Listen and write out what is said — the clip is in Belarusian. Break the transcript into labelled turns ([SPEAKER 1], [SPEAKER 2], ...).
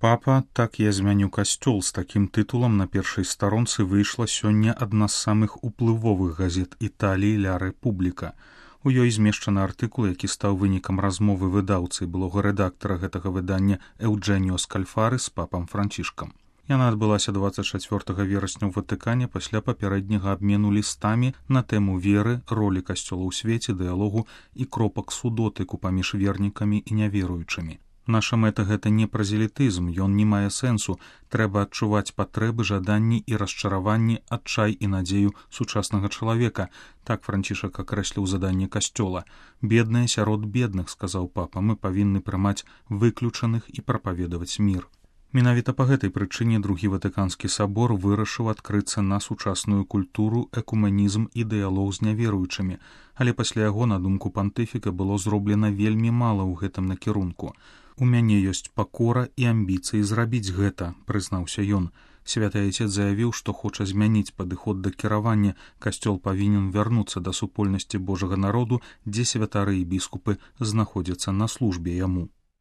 [SPEAKER 1] Папа, так я змяню касцёл з такім тытулам на першай старонцы выйшла сёння адна з самых уплывовых газет Італіі «Ля Рэпубліка». У ёй змешчаны артыкул, які стаў вынікам размовы выдаўцы і былога рэдактара гэтага выдання Эўджэніо Скальфары з папам Францішкам. Яна адбылася 24 верасня ў Ватыкане пасля папярэдняга абмену лістамі на тэму веры, ролі касцёла ў свеце, дыялогу і кропак судотыку паміж вернікамі і няверуючымі. Наша мэта гэта не празелітызм, ён не мае сэнсу. Трэба адчуваць патрэбы, жаданні і расчараванні, адчай і надзею сучаснага чалавека. Так Францішак акрэсліў заданне касцёла. Бедныя сярод бедных, сказаў папа, мы павінны прымаць выключаных і прапаведаваць мір. Менавіта па гэтай прычыне другі Ватыканскі сабор вырашыў адкрыцца на сучасную культуру, экуменізм і дыялог з няверуючымі, але пасля яго, на думку пантыфіка, было зроблена вельмі мала ў гэтым накірунку. У мяне ёсць пакора і амбіцыі зрабіць гэта, прызнаўся ён. Святы Айцец заявіў, што хоча змяніць падыход да кіравання. Касцёл павінен вярнуцца да супольнасці Божага народу, дзе святары і біскупы знаходзяцца на службе яму.